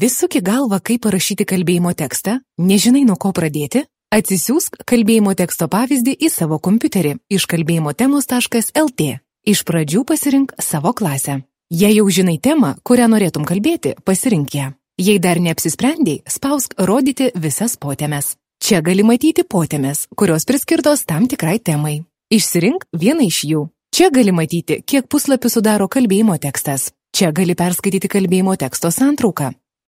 Vis suki galvą, kaip parašyti kalbėjimo tekstą, nežinai nuo ko pradėti? Atsisiųsk kalbėjimo teksto pavyzdį į savo kompiuterį iš kalbėjimotemos.lt. Iš pradžių pasirink savo klasę. Jei jau žinai temą, kurią norėtum kalbėti, pasirink ją. Jei dar neapsisprendei, spausk rodyti visas potemes. Čia gali matyti potemes, kurios priskirtos tam tikrai temai. Išsirink vieną iš jų. Čia gali matyti, kiek puslapių sudaro kalbėjimo tekstas. Čia gali perskaityti kalbėjimo teksto santrauką.